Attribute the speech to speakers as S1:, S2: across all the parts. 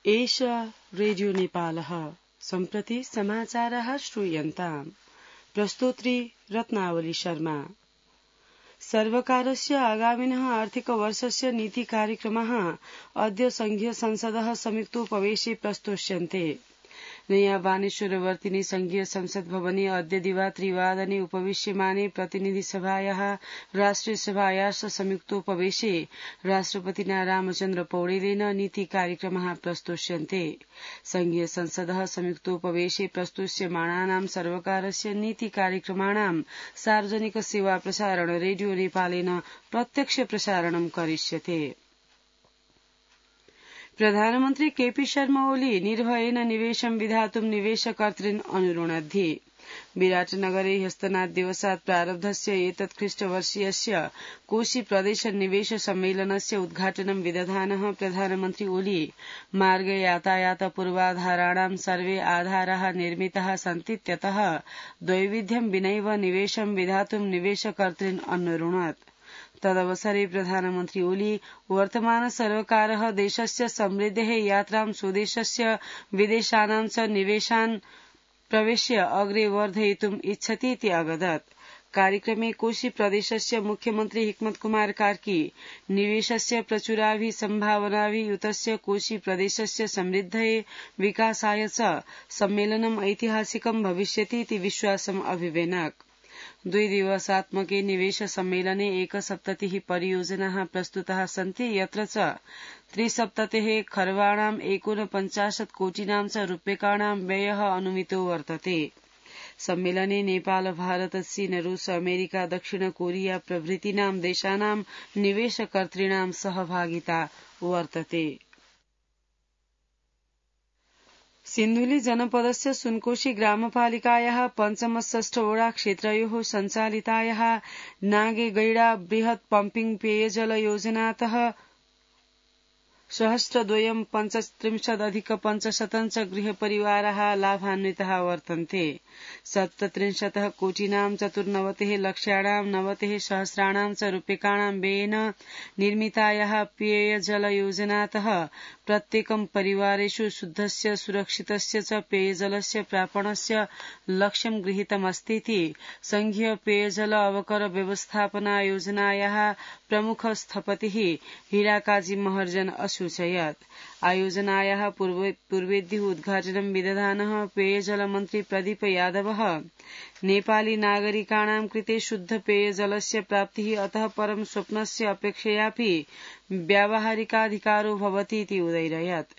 S1: एष रेडियो नेपालः सम्प्रति समाचारः श्रूयन्ताम्। प्रस्तोत्री रत्नावली शर्मा। सर्वकारस्य आगामिनः आर्थिकवर्षस्य नीतिकार्यक्रमः अद्य संघीय संसदः संयुक्तोपवेशे प्रस्तोष्यन्ते। नयाँ बानेश्वरवर्तिनि संघीय संसद भवने अद्य दिवा 3 उपविश्यमाने प्रतिनिधि सभायाः राष्ट्रिय सभायाः संयुक्तोपवेशे राष्ट्रपतिना रामचन्द्र पौडेलेन नीति कार्यक्रमः प्रस्तोष्यन्ते। संघीय संसदः संयुक्तोपवेशे प्रस्तोष्यमाणानां सर्वकारस्य नीति कार्यक्रमाणां सार्वजनिक सेवा प्रसारण रेडियो नेपालेन प्रत्यक्ष प्रसारणं करिष्यते। प्रधानमन्त्री केपी शर्मा ओली निर्भयेन निवेशं विधातुं निवेशकर्तॄन् अनुरुणद्धि। विराटनगरे ह्यस्तनाद्दिवसात् प्रारब्धस्य एतत् ख्रीष्टवर्षीयस्य कोशी प्रदेश निवेश सम्मेलनस्य उद्घाटनं विदधानः प्रधानमन्त्री ओली मार्ग यातायात पूर्वाधाराणां सर्वे आधाराः निर्मिताः सन्तीत्यतः द्वैविध्यं विनैव निवेशं विधातुं निवेशकर्तॄन् अनुरुणत्। तदवसरे प्रधानमन्त्री ओली वर्तमान सर्वकारः देशस्य समृद्धेः यात्रां स्वदेशस्य विदेशानां च निवेशान् प्रवेश्य अग्रे वर्धयितुम् इच्छति इति अवदत्। कार्यक्रमे कोशी प्रदेशस्य मुख्यमन्त्री हिक्मत कुमार कार्की निवेशस्य प्रचुराभिः सम्भावनाभिः युतस्य कोशी प्रदेशस्य समृद्धये विकासाय च सम्मेलनम् ऐतिहासिकं भविष्यति इति विश्वासम् अभिवेनक। 2 दिवसात्मके निवेश सम्मेलने 170 परियोजनाः प्रस्तुताः सन्ति, यत्र च 370 खर्वाणां 49 कोटिनां च रूप्यकाणां व्ययः अनुमितो वर्तते। सम्मेलने नेपाल, भारत, चीन, रूस, अमेरिका, दक्षिण कोरिया प्रभृतीनां देशानां निवेशकर्तॄणां सहभागिता वर्तते। सिन्धुली जनपदस्य सुनकोशी ग्रामपालिकायाः पञ्चम-षष्ठ वडा क्षेत्रयोः सञ्चालितायाः नागेगैडा बृहत् पम्पिङ पेयजल योजनातः 1,235,500 च गृहपरिवाराः लाभान्विताः वर्तन्ते। 37 कोटिनां 94 लक्षाणां 90 सहस्राणां च रूप्यकाणां व्ययेन निर्मितायाः पेयजल योजनातः प्रत्येकं परिवारेषु शुद्धस्य सुरक्षितस्य च पेयजलस्य प्रापणस्य लक्ष्यं गृहीतमस्तीति संघीय पेयजल अवकर व्यवस्थापना योजनायाः प्रमुख स्थपतिः हीराकाजी महर्जन असूचयत्। आयोजनायाः पूर्वेद्युः उद्घाटनं विदधानः पेयजल मन्त्री प्रदीप यादवः नेपाली नागरिकाणां कृते शुद्ध पेयजलस्य प्राप्तिः अतः परं स्वप्नस्य अपेक्षयापि व्यावहारिकाधिकारो भवति इति उदयरयत्।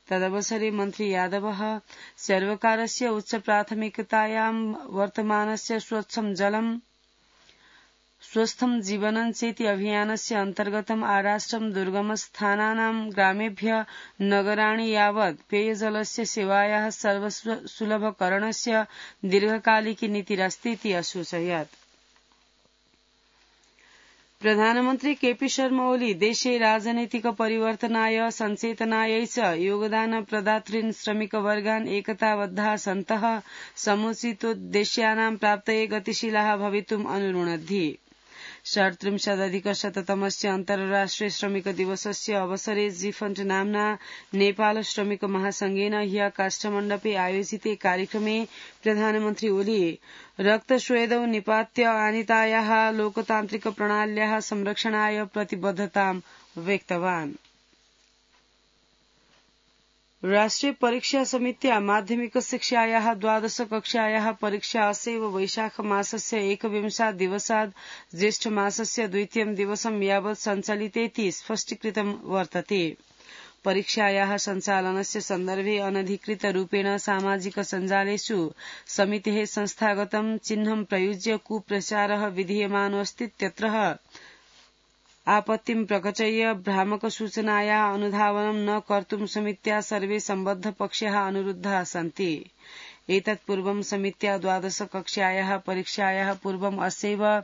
S1: तदवसरे मन्त्री यादवः सर्वकारस्य उच्च प्राथमिकतायां वर्तमानस्य स्वच्छं जलम् स्वस्थं जीवनं चेति अभियानस्य अन्तर्गतम् आराष्ट्रं दुर्गमस्थानानां ग्रामेभ्य नगराणि यावत् पेयजलस्य सेवायाः सर्वसुलभकरणस्य दीर्घकालिकी नीतिरस्ति इति असूचयत्। प्रधानमन्त्री केपी शर्मा ओली देशे राजनैतिक परिवर्तनाय सञ्चेतनायै च योगदान प्रदातॄन् श्रमिकवर्गान् एकताबद्धाः सन्तः समुचितोद्देश्यानां प्राप्तये गतिशीलाः भवितुम् अनुरुणद्धि। 37,100तमस्य अन्तर्राष्ट्रिय श्रमिक दिवसस्य अवसरे जीफण्ड नाम्ना नेपाल श्रमिक महासंघेन ह्य काष्ठमण्डपे आयोजिते कार्यक्रमे प्रधानमन्त्री ओली रक्तस्वेदौ निपात्य आनीतायाः लोकतान्त्रिक प्रणाल्याः संरक्षणाय प्रतिबद्धतां व्यक्तवान्। राष्ट्रिय परीक्षा समित्या माध्यमिक शिक्षायाः 12 कक्षायाः परीक्षा अस्यैव वैशाख मासस्य 21 दिवसात् ज्येष्ठ मासस्य 2 दिवसं यावत् सञ्चालितेति स्पष्टीकृतं वर्तते। परीक्षायाः सञ्चालनस्य सन्दर्भे अनधिकृत रूपेण सामाजिक सञ्जालेषु समितेः संस्थागतं चिह्नं प्रयुज्य कुप्रचारः विधीयमानोऽस्तीत्यत्र आपत्तिं प्रकटय्य भ्रामक सूचनायाः अनुधावनं न कर्तुं समित्या सर्वे सम्बद्ध पक्षाः अनुरुद्धाः सन्ति। एतत् पूर्वं समित्या 12 कक्षायाः परीक्षायाः पूर्वम् अस्यैव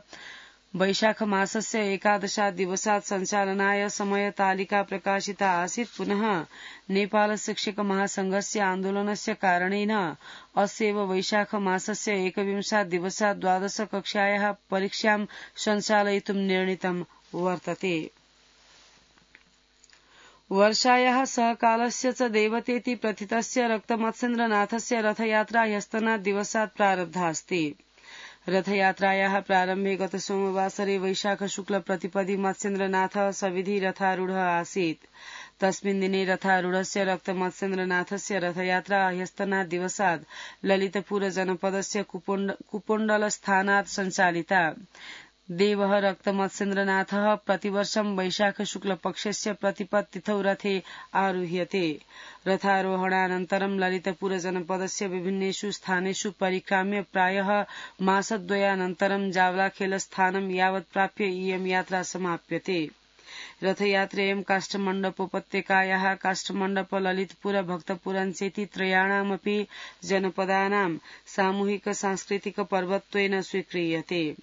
S1: वैशाख मासस्य 11 दिवसात् सञ्चालनाय समयतालिका प्रकाशिता आसीत्। पुनः नेपाल शिक्षक महासंघस्य आन्दोलनस्य कारणेन अस्यैव वैशाख मासस्य 21 दिवसात् 12 कक्षायाः परीक्षां सञ्चालयितुं निर्णीतं वर्तते। वर्षायाः सहकालस्य च देवतेति प्रथितस्य रक्तमत्सेन्द्रनाथस्य रथयात्रा ह्यस्तनात् दिवसात् प्रारब्धा अस्ति। रथयात्रायाः प्रारम्भे गत सोमवासरे वैशाख शुक्ल प्रतिपदि मत्स्येन्द्रनाथः सविधि रथारूढः आसीत्। तस्मिन् दिने रथारूढस्य रक्तमत्स्येन्द्रनाथस्य रथयात्रा ह्यस्तनात् दिवसात् ललितपुर जनपदस्य कुपोण्डलस्थानात् सञ्चालिता। देवः रक्तमत्स्येन्द्रनाथः प्रतिवर्षं वैशाख शुक्लपक्षस्य प्रतिपत्तिथौ रथे आरुह्यते। रथारोहणानन्तरं ललितपुर जनपदस्य विभिन्नेषु स्थानेषु परिक्राम्य प्रायः मासद्वयानन्तरं जावलाखेलस्थानं यावत् प्राप्य इयं यात्रा समाप्यते। रथयात्रेयं काष्ठमण्डपोपत्यकायाः काष्ठमण्डप ललितपुर भक्तपुरञ्चेति त्रयाणामपि जनपदानां सामूहिक सांस्कृतिक पर्वत्वेन स्वीक्रियते।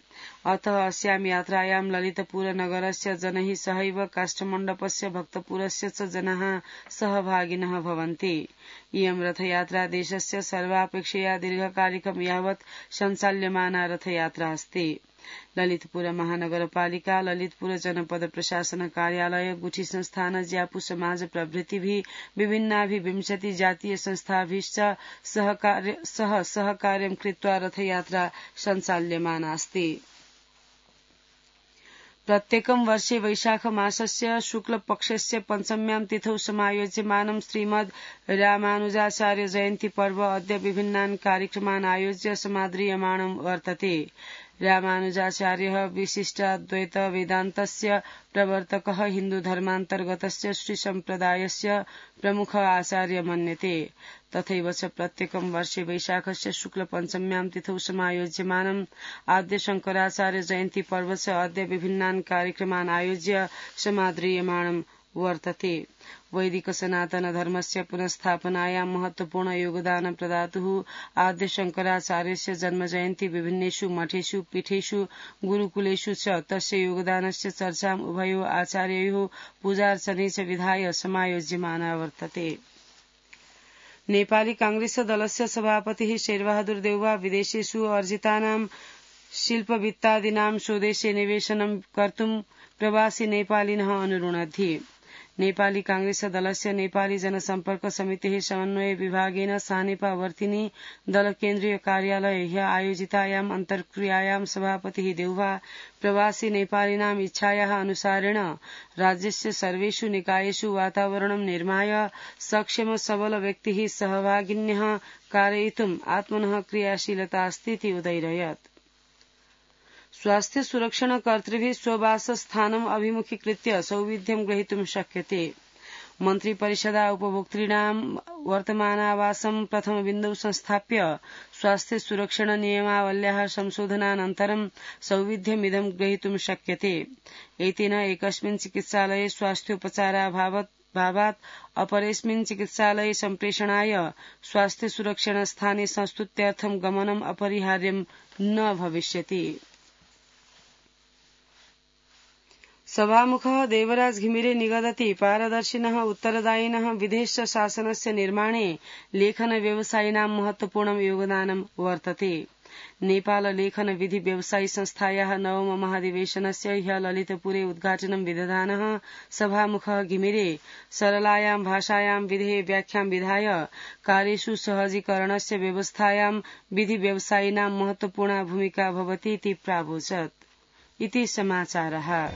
S1: अतः अस्यां यात्रायां ललितपुर नगरस्य जनैः सहैव काष्ठमण्डपस्य भक्तपुरस्य च जनाः सहभागिनः भवन्ति। इयं रथयात्रा देशस्य सर्वापेक्षया दीर्घकालिकं यावत् सञ्चाल्यमाना रथयात्रा अस्ति। ललितपुर महानगरपालिका, ललितपुर जनपद प्रशासन कार्यालय, गुठी संस्थान, ज्यापू समाज प्रभृतिभिः विभिन्नाभिः 20 जातीय संस्थाभिश्च सह सहकार्यं कृत्वा रथयात्रा सञ्चाल्यमाना अस्ति। प्रत्येकं वर्षे वैशाख मासस्य शुक्लपक्षस्य पञ्चम्यां तिथौ समायोज्यमानं श्रीमद् रामानुजाचार्य जयन्ती पर्व अद्य विभिन्नान् कार्यक्रमान् आयोज्य समाद्रियमाणं वर्तते। रामानुजाचार्यः विशिष्टाद्वैत वेदान्तस्य प्रवर्तकः, हिन्दुधर्मान्तर्गतस्य श्रीसम्प्रदायस्य प्रमुख आचार्य मन्यते। तथैव च प्रत्येकं वर्षे वैशाखस्य शुक्लपञ्चम्यां तिथौ समायोज्यमानम् आद्य शङ्कराचार्य जयन्ती पर्व च अद्य विभिन्नान् कार्यक्रमान् आयोज्य समाद्रियमाणं वर्तते। वैदिक सनातन धर्मस्य पुनस्थापनायां महत्वपूर्ण योगदान प्रदातुः आद्य शङ्कराचार्यस्य जन्मजयन्ती विभिन्नेषु मठेषु, पीठेषु, गुरुकुलेषु च तस्य योगदानस्य चर्चाम् उभयोः आचार्ययोः पूजार्चने च विधाय समायोज्यमाना वर्तते। नेपाली कांग्रेस दलस्य सभापतिः शेरबहादुर देउवा विदेशेषु अर्जितानां शिल्पवित्तादीनां स्वदेशे निवेशनं कर्तुं प्रवासी नेपालिनः अनुरुणद्धि। नेपाली कांग्रेस दलस्य नेपाली जनसम्पर्क समितेः समन्वय विभागेन सानेपावर्तिनी दल केन्द्रीय कार्यालये ह्यः आयोजितायाम् अन्तर्क्रियायां सभापतिः देउवा प्रवासी नेपालिनाम् इच्छायाः अनुसारेण राज्यस्य सर्वेषु निकायेषु वातावरणं निर्माय सक्षम सबल व्यक्तिः सहभागिन्यः कारयितुम् आत्मनः क्रियाशीलता अस्तीति उदैरयत्। स्वास्थ्य सुरक्षण कर्तृभिः स्ववासस्थानम् अभिमुखीकृत्य सौविध्यं ग्रहीतुं शक्यते। मन्त्रिपरिषदा उपभोक्तॄणां वर्तमानावासं प्रथमबिन्दौ संस्थाप्य स्वास्थ्य सुरक्षण नियमावल्याः संशोधनानन्तरं सौविध्यमिदं ग्रहीतुं शक्यते। एतेन एकस्मिन् चिकित्सालये स्वास्थ्योपचाराभावात् अपरेस्मिन् चिकित्सालये सम्प्रेषणाय स्वास्थ्य सुरक्षण स्थाने संस्तुत्यर्थं गमनम् अपरिहार्यं न भविष्यति। सभामुखः देवराज घिमिरे निगदति पारदर्शिनः उत्तरदायिनः विदेश शासनस्य निर्माणे लेखन व्यवसायिनां महत्वपूर्णं योगदानं वर्तते। नेपाल लेखन विधि व्यवसायी संस्थायाः नवम महाधिवेशनस्य ह्यः ललितपुरे उद्घाटनं विदधानः सभामुखः घिमिरे सरलायां भाषायां विधेः व्याख्यां विधाय कार्येषु सहजीकरणस्य व्यवस्थायां विधि व्यवसायिनां महत्वपूर्णा भूमिका भवति इति प्रावोचत्। इति समाचारः।